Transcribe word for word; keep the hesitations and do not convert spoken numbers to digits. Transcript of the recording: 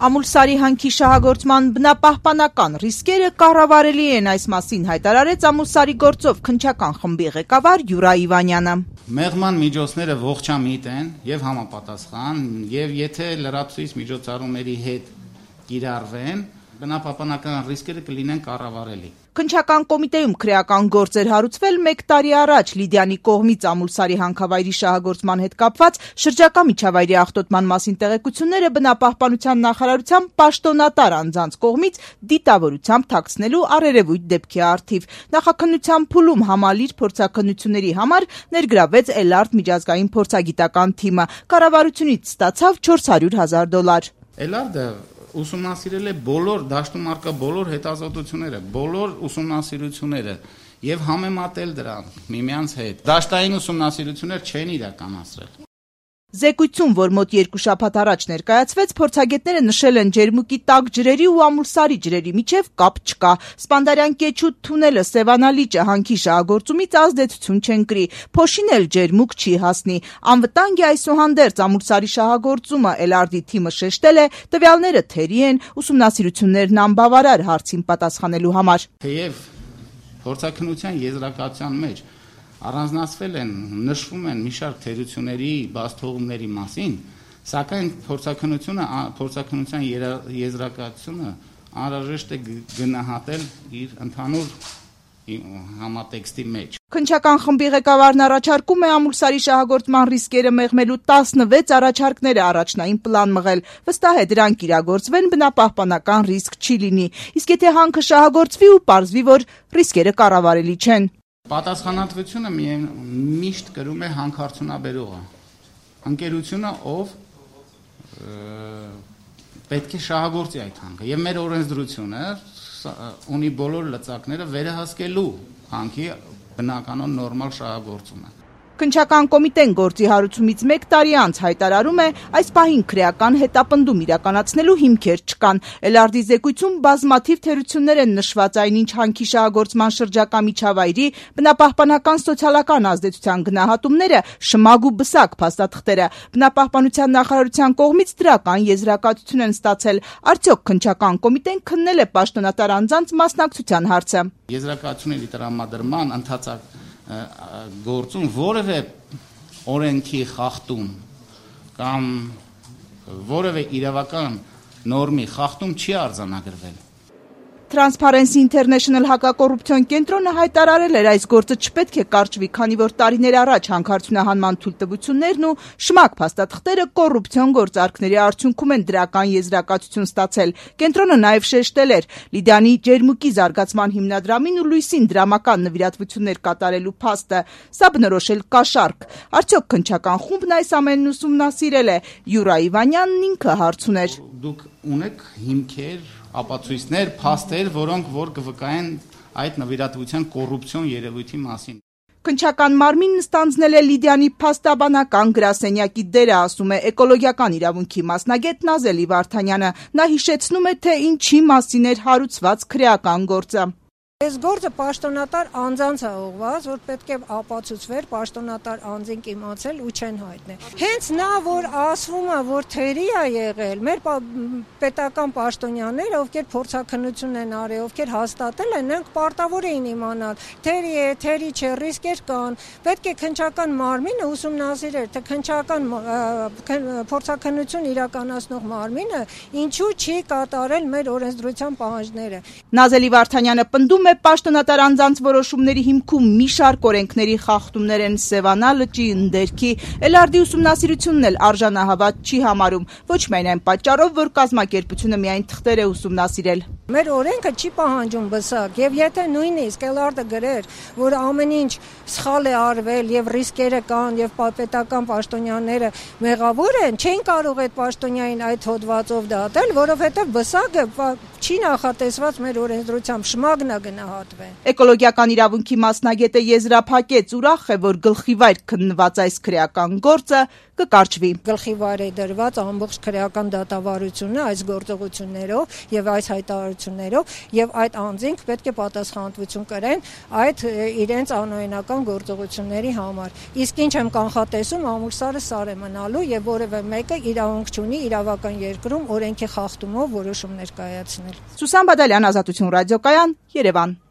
Ամուլսարի հանքի շահագործման բնապահպանական ռիսկերը կառավարելի են, այս մասին հայտարարեց Ամուլսարի գործով քննչական խմբի ղեկավար Յուրա Իվանյանը։ Մեղման միջոցները ողջամիտ են եւ համապատասխան, եւ եթե լրացուցիչ միջոցառումների հետ կիրառվեն, բնապահպանական ռիսկերը կլինեն կառավարելի։ Քննչական կոմիտեում քրեական գործ էր հարուցվել մեկ տարի առաջ Լիդիանի կողմից Ամուլսարի հանքավայրի շահագործման հետ կապված շրջակա միջավայրի աղտոտման մասին տեղեկությունները բնապահպանության նախարարության պաշտոնատար անձանց կողմից դիտավորությամբ թաքցնելու առերևույթ դեպքի առթիվ։ Նախաքննության փուլում համալիր փորձաքննությունների համար ներգրավեց Էլարտ միջազգային փորձագիտական թիմը, կառավարությունից ստացավ չորս հարյուր հազար դոլար։ Էլարդը ուսումնասիրել է բոլոր դաշտում առկա բոլոր հետազոտությունները, բոլոր ուսումնասիրությունները եւ համեմատել դրանք միմյանց հետ։ Դաշտային ուսումնասիրություններ չեն իրականացրել։ Զեկույցում, որ մոտ երկու շաբաթ առաջ ներկայացվեց, փորձագետները նշել են ջերմուկի տաք ջրերի ու Ամուլսարի ջրերի միջև կապ չկա։ Սպանդարյան կեչու թունելը Սևանալիճը հանքի շահագործումից ազդեցություն չեն կրի։ Փոշին էլ ջերմուկ չի հասնի։ Անվտանգ է այսուհանդերձ Ամուլսարի շահագործումը, Էլարդի թիմը շեշտել է, տվյալները թերի են, ուսումնասիրություններն անբավարար հարցին պատասխանելու համար։ Թեև փորձաքննության եզրակացության մեջ առանձնացվել են, նշվում են մի շարք թերությունների բացթողումների մասին, սակայն փորձաքննությունը, փորձաքննության եզրակացությունը անհրաժեշտ է գնահատել իր ընդհանուր համատեքստի մեջ։ Քննչական խմբի ղեկավարն առաջարկում է Ամուլսարի շահագործման ռիսկերը մեղմելու տասնվեց առաջարկները առաջնային պլան մղել։ Վստահ է դրանք իրագործվեն, բնապահպանական ռիսկ չի լինի։ Իսկ եթե հանքը շահագործվի ու պարզվի, որ ռիսկերը կառավարելի չեն։ Պատասխանատվությունը միշտ կրում է հանքարդյունաբերողը, ընկերությունը, ով պետք է շահագործի այդ հանքը, եւ մեր օրենսդրությունը ունի բոլոր լծակները վերահսկելու հանքի բնականon նորմալ շահագործումը։ Քննչական կոմիտեն գործի հարուցումից մեկ տարի անց հայտարարում է, այս պահին քրեական հետապնդում իրականացնելու հիմքեր չկան։ Էլարդի զեկույցում բազմաթիվ թերություններ են նշված, այնինչ հանքի շահագործման շրջակա միջավայրի բնապահպանական սոցիալական ազդեցության գնահատումները շմագ ու բսակ փաստաթղթերը։ Բնապահպանության նախարարության կողմից դրական եզրակացություն են ստացել։ Արդյոք քննչական կոմիտեն քննել է պաշտոնատար անձանց մասնակցության հարցը։ Եզրակացությունների տրամադրման ընթացակ գործում որևէ օրենքի խախտում կամ որևէ իրավական նորմի խախտում չի արձանագրվել։ Transparency International հակակոռուպցիոն կենտրոնը հայտարարել էր, այս գործը չպետք է կարճվի, քանի որ տարիներ առաջ հանքարդյունահանման թույլտվություններն ու շմակ փաստաթղթերը կոռուպցիոն գործարքների արդյունքում են դրական եզրակացություն ստացել։ Կենտրոնը նաև շեշտել էր, Լիդիանի ջերմուկի զարգացման հիմնադրամին ու լույսին դրամական նվիրատվություններ կատարելու փաստը, սա բնորոշել կաշառք։ Արդյոք քննչական խումբն այս ամենն ուսումնասիրել է։ Յուրա Իվանյանն ինքը հարց ուներ։ Դուք ունեք հիմքեր, ապացույցներ, փաստեր, որոնք որ կվկայեն այդ նվիրատվության կոռուպցիոն երևույթի մասին։ Քննչական մարմինն ստանձնել է Լիդիանի փաստաբանական գրասենյակի դերը, ասում է էկոլոգիական իրավունքի մասնագետ Նազելի Վարդանյանը։ Նա հիշեցնում է, թե ինչի մասին էր հարուցված քրեական գործը։ Այս գործը պաշտոնատար անձանց է ուղղված, որ պետք է ապացուցվեր, պաշտոնատար անձին իմացել ու չեն հայտնել։ Հենց նա, որ ասվում է, որ թերի է եղել, մեր պետական պաշտոնյաները, ովքեր փորձաքննություն են արել, ովքեր հաստատել են, նրանք պարտավոր էին իմանալ, թերի է, թերի չէ, ռիսկեր կան։ Պետք է քննչական մարմինը ուսումնասիրեր, թե քննչական փորձաքննություն իրականացնող մարմինը ինչու չի կատարել մեր օրենսդրության պահանջները։ Նազելի Վարդանյանը պնդում է պաշտոնատար անձանց որոշումների հիմքում մի շարք օրենքների խախտումներ են Սևանա լճի ընդերքի։ Էլարդի ուսումնասիրությունն էլ արժանահավատ չի համարում, ոչ միայն այն պատճառով, որ կազմակերպությունը միայն թղթեր է ուսումնասիրել։ Մեր օրենքը չի պահանջում բսակ, եւ եթե նույնիսկ Էլարդը գրեր, որ ամեն ինչ սխալ է արվել եւ ռիսկերը կան եւ պետական պաշտոնյաները մեղավոր են, չեն կարող այդ պաշտոնյային այդ հոդվածով դատել, որովհետեւ բսակը չի նախատեսված մեր օրենսդրությամբ, շմագն է գնահատվեն։ Էկոլոգիական իրավունքի մասնագետը եզրափակեց, ուրախ է, որ գլխիվայր քննված այս քրեական գործը կկարճվի։ Գլխիվայր է դրված ամբողջ քրեական դատավարությունը այս գործողություններով եւ այս հայտարարություններով եւ այդ անձինք պետք է պատասխանատվություն կրեն այդ իրենց անօրինական գործողությունների համար։ Իսկ ինչ եմ կանխատեսում, ամուրսարը սար է մնալու եւ որևէ մեկը իրավունք չունի իրավական երկրում օրենքի խախտումով որոշումներ կայացնել։ Սուսան Բադալյան, Ազատություն ռադիոկայան, Երևան։